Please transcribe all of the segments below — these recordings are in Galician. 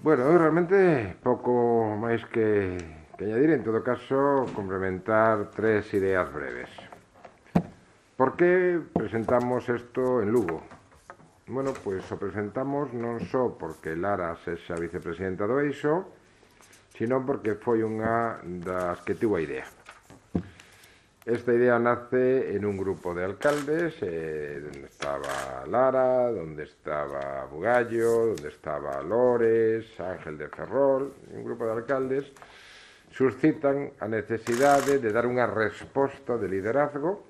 Bueno, realmente pouco máis que añadir, en todo caso, complementar tres ideas breves. Por que presentamos isto en Lugo? Bueno, pois o presentamos non só porque Lara sexa vicepresidenta do Eixo, sino porque foi unha das que tivo a idea. Esta idea nace en un grupo de alcaldes, donde estaba Lara, donde estaba Bugallo, donde estaba Lores, Ángel de Ferrol, un grupo de alcaldes, suscitan a necesidade de dar unha resposta de liderazgo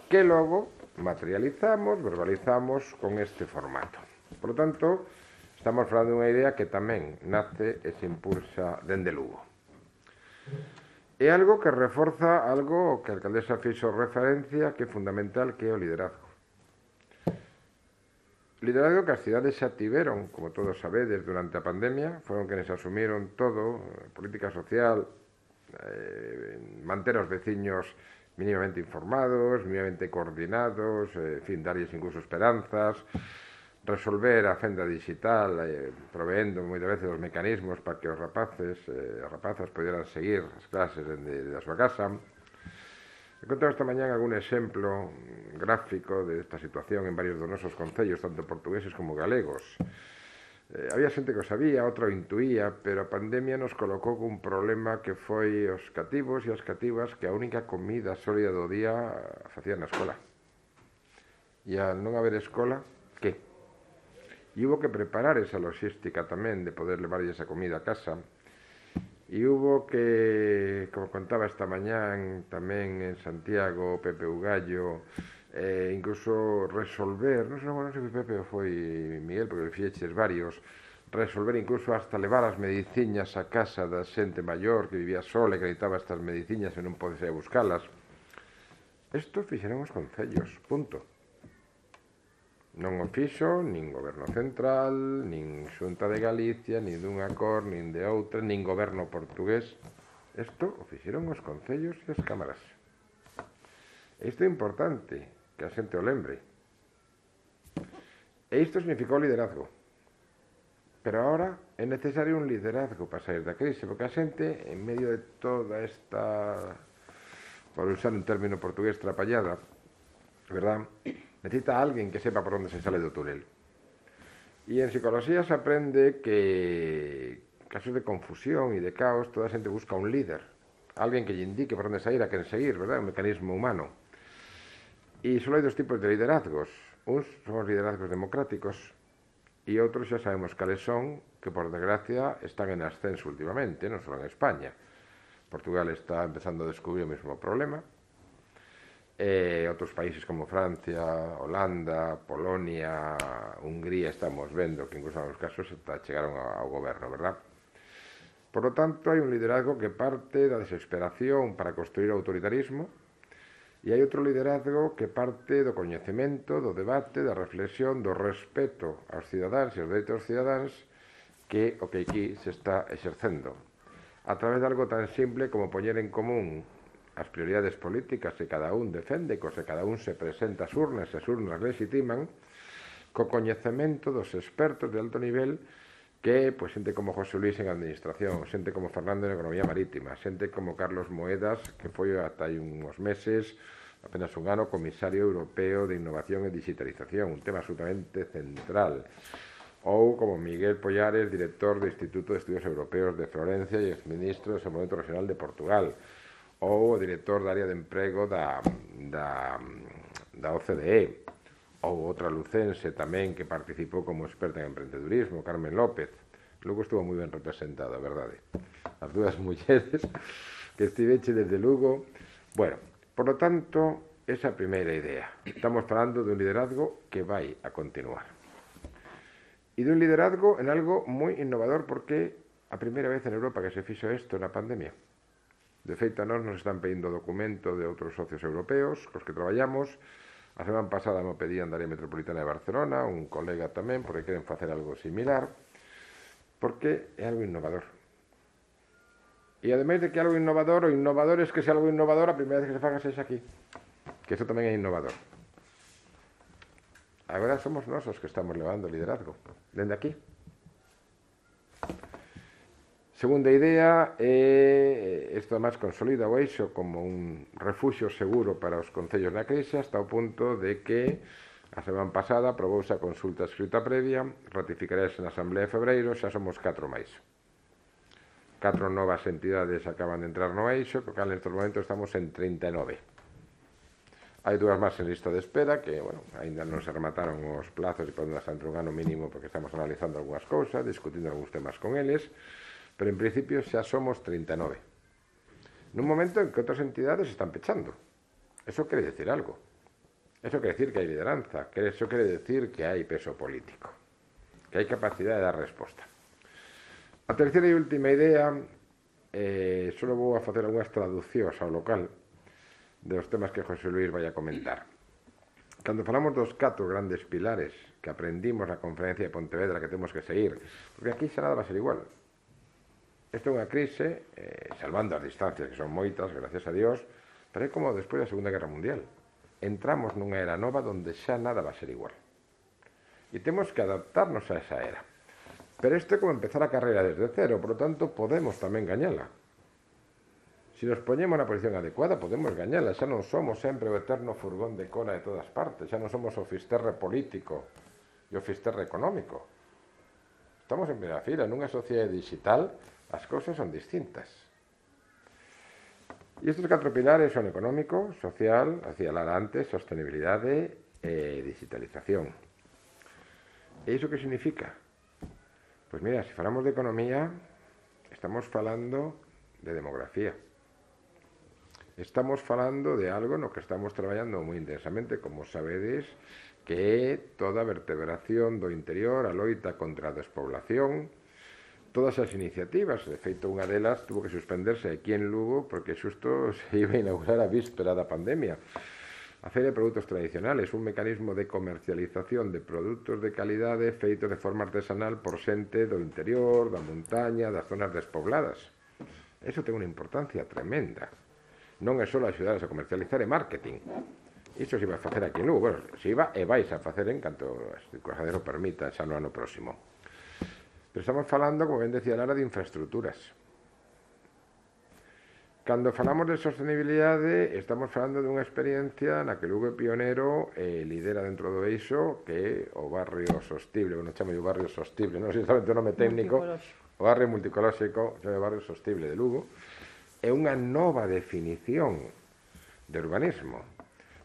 que logo materializamos, verbalizamos con este formato. Por lo tanto, estamos falando dunha idea que tamén nace e se impulsa dende Lugo. É algo que reforza algo que a alcaldesa fixo referencia que é fundamental, que é o liderazgo. Liderazgo que as cidades xa tiveron, como todos sabedes, durante a pandemia, foron quenes asumiron todo, política social, manter os veciños mínimamente informados, mínimamente coordinados, en fin, darlles incluso esperanzas, resolver a fenda digital, proveendo moitas veces os mecanismos para que os rapaces e as rapazas poderan seguir as clases dende a súa casa. Encontramos esta mañán algún exemplo gráfico desta situación en varios dos nosos concellos, tanto portugueses como galegos. Había xente que o sabía, outra o intuía, pero a pandemia nos colocou cun problema que foi os cativos e as cativas que a única comida sólida do día facían na escola. E al non haber escola, que? E hubo que preparar esa logística tamén de poder levar esa comida a casa. E hubo que, como contaba esta mañán tamén en Santiago, Pepe Ugallo, incluso resolver, non sei se Pepe ou foi Miguel, porque fixeches varios, resolver incluso hasta levar as mediciñas a casa da xente maior que vivía sola e que necesitaba estas mediciñas e non pode ser a buscalas. Isto fixeron os concellos, punto. Non o fixo nin goberno central, nin Xunta de Galicia, nin dunha cor, nin de outra, nin goberno portugués. Isto o fixeron os concellos e as cámaras. Isto é importante, que a xente o lembre. E isto significou liderazgo. Pero agora é necesario un liderazgo para sair da crise, porque a xente, en medio de toda esta, por usar un término portugués, trapallada, verdad? Necesita alguén que sepa por onde se sale do túnel. E en psicología se aprende que casos de confusión e de caos, toda a xente busca un líder, alguén que lle indique por onde sair, a quen seguir, verdad? Un mecanismo humano. E só hai dos tipos de liderazgos. Uns son os liderazgos democráticos e outros xa sabemos cales son, que por desgracia están en ascenso últimamente, non só en España. Portugal está empezando a descubrir o mesmo problema. Outros países como Francia, Holanda, Polonia, Hungría, estamos vendo que incluso en algunos casos chegaron ao goberno, verdad? Por lo tanto, hai un liderazgo que parte da desesperación para construir o autoritarismo e hai outro liderazgo que parte do coñecemento, do debate, da reflexión, do respeto aos cidadáns e aos dereitos dos cidadáns, que o que aquí se está exercendo a través de algo tan simple como poñer en común as prioridades políticas que cada un defende, que cada un se presenta ás urnas e as urnas legitiman, co coñecemento dos expertos de alto nivel que, pois, xente como José Luis en administración, xente como Fernando en economía marítima, xente como Carlos Moedas, que foi ata hai uns meses, apenas un ano, comisario europeo de innovación e digitalización, un tema absolutamente central. Ou como Miguel Pollares, director do Instituto de Estudios Europeos de Florencia e exministro do Desenvolvemento Regional de Portugal, ou o director da área de emprego da OCDE, ou outra lucense tamén que participou como experta en emprendedurismo, Carmen López. Lugo estuvo moi ben representado, a verdade. As dúas mulleres que estiveche desde Lugo. Bueno, por lo tanto, esa é a primeira idea. Estamos falando dun liderazgo que vai a continuar. E dun liderazgo en algo moi innovador, porque a primeira vez en Europa que se fixo isto na pandemia. De feito, a nós nos están pedindo documento de outros socios europeos cos que traballamos. A semana pasada me pedían da área metropolitana de Barcelona, un colega tamén, porque queren facer algo similar, porque é algo innovador. E ademais de que é algo innovador, o innovador é que se algo innovador, a primeira vez que se faga sexa aquí. Que iso tamén é innovador. Agora somos nós os que estamos levando o liderazgo, dende aquí. Segunda idea, isto máis consolida o Eixo como un refuxio seguro para os concellos na crise, hasta o punto de que a semana pasada aprobouse a consulta escrita previa, ratificarese na Asamblea de Febreiro, xa somos 4 máis. 4 novas entidades acaban de entrar no Eixo, co cal nestes momentos estamos en 39. Hai 2 máis en lista de espera, que, bueno, ainda non se remataron os plazos e podemos estar entre un ano mínimo porque estamos analizando algunhas cousas, discutindo algúns temas con eles, pero en principio xa somos 39. Nun momento en que outras entidades están pechando. Eso quere decir algo. Eso quere decir que hai lideranza, eso quere decir que hai peso político, que hai capacidade de dar resposta. A terceira e última idea, só vou a facer algunhas traducións ao local dos temas que José Luis vai a comentar. Cando falamos dos 4 grandes pilares que aprendimos na conferencia de Pontevedra que temos que seguir, porque aquí xa nada va a ser igual. Isto é unha crise, salvando as distancias, que son moitas, gracias a Dios, pero é como despois da Segunda Guerra Mundial. Entramos nunha era nova onde xa nada va a ser igual. E temos que adaptarnos a esa era. Pero isto é como empezar a carreira desde cero, por lo tanto, podemos tamén gañala. Se nos poñemos na posición adecuada, podemos gañala. Xa non somos sempre o eterno furgón de cola de todas partes, xa non somos o fisterre político e o fisterre económico. Estamos en primeira fila, nunha sociedade digital, as cousas son distintas. E estes 4 pilares son económico, social, hacía hablar antes, sostenibilidade e digitalización. E iso que significa? Pois mira, se falamos de economía, estamos falando de demografía. Estamos falando de algo no que estamos traballando moi intensamente, como sabedes, que é toda a vertebración do interior, a loita contra a despoblación, todas as iniciativas. De feito, unha delas tuvo que suspenderse aquí en Lugo porque xusto se iba a inaugurar a víspera da pandemia. A Feira de Produtos Tradicionales, un mecanismo de comercialización de produtos de calidade feitos de forma artesanal por xente do interior, da montaña, das zonas despobladas. Eso ten unha importancia tremenda. Non é só axudar a comercializar e marketing. Iso se iba a facer aquí en Lugo. Bueno, se iba e vais a facer en canto as circunstancias o permitan xa no ano próximo. Pero estamos falando, como ben decía Lara, de infraestructuras. Cando falamos de sostenibilidade, estamos falando dunha experiencia na que Lugo é pionero e lidera dentro do Eixo, que é o barrio sostible, bueno, chamo o barrio sostible, non sei exatamente o nome técnico, o barrio multicolóxico, o barrio sostible de Lugo, é unha nova definición de urbanismo.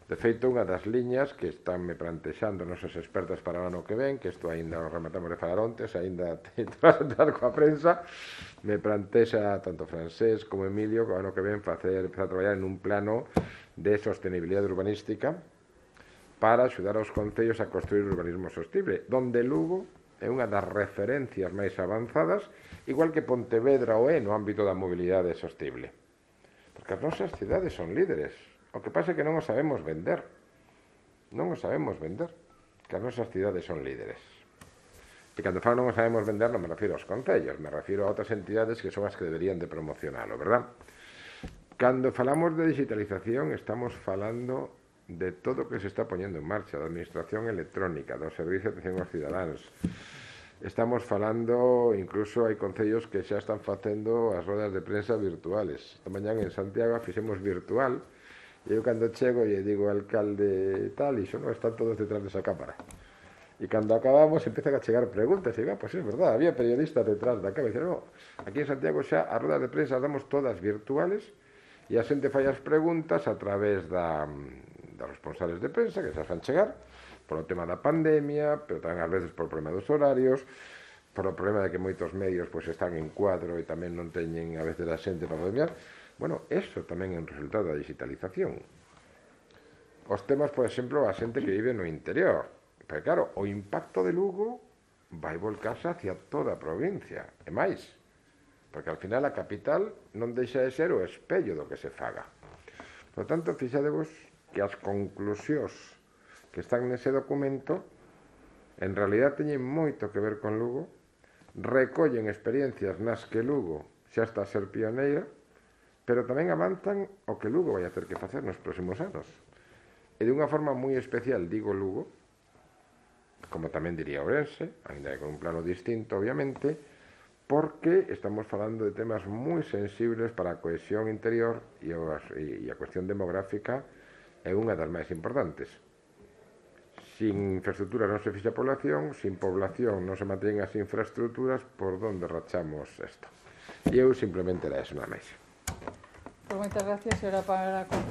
De feito, unha das liñas que están me plantexando nosos expertos para o ano que ven, que isto aínda o rematamos de falar ontes, aínda vas a entrar coa prensa, me plantexa tanto Francés como Emilio que o ano que ven empezar a traballar en un plano de sostenibilidade urbanística para axudar aos concellos a construir urbanismo sostible, donde Lugo é unha das referencias máis avanzadas, igual que Pontevedra o é no ámbito da mobilidade sostible. Porque as nosas cidades son líderes. O que pasa é que non o sabemos vender. Non o sabemos vender. Que as nosas cidades son líderes. E cando falo non o sabemos vender non me refiro aos concellos, me refiro a outras entidades que son as que deberían de promocionalo, verdad? Cando falamos de digitalización estamos falando de todo o que se está poñendo en marcha, da administración electrónica, do servicio de atención aos cidadáns. Estamos falando, incluso hai concellos que xa están facendo as rodas de prensa virtuales. Esta mañá en Santiago a fixemos virtual. E eu cando chego e digo ao alcalde tal, e non están todos detrás desa cámara. E cando acabamos empezan a chegar preguntas, e pois é verdad, había periodistas detrás da cámara. E dicen, no, aquí en Santiago xa as rodas de prensa as damos todas virtuales e a xente fai as preguntas a través dos responsables de prensa que se fan chegar polo tema da pandemia, pero tamén ás veces por problema dos horarios, por o problema de que moitos medios pois están en cuadro e tamén non teñen a veces a xente para poder mirar. Bueno, eso tamén é un resultado da digitalización. Os temas, por exemplo, a xente que vive no interior. Pero claro, o impacto de Lugo vai volcarse hacia toda a provincia. E máis, porque ao final a capital non deixa de ser o espello do que se faga. Por tanto, fixadevos que as conclusións que están nese documento en realidad teñen moito que ver con Lugo, recollen experiencias nas que Lugo xa está a ser pioneira, pero tamén avanzan o que Lugo vai a ter que facer nos próximos anos. E de unha forma moi especial digo Lugo, como tamén diría Ourense, ainda que con un plano distinto, obviamente, porque estamos falando de temas moi sensibles para a cohesión interior e a cuestión demográfica é unha das máis importantes. Sin infraestructuras non se fixa población, sin población non se mantén as infraestructuras, por donde rachamos isto? E eu simplemente era eso, nada máis. Pues moitas gracias, e ahora para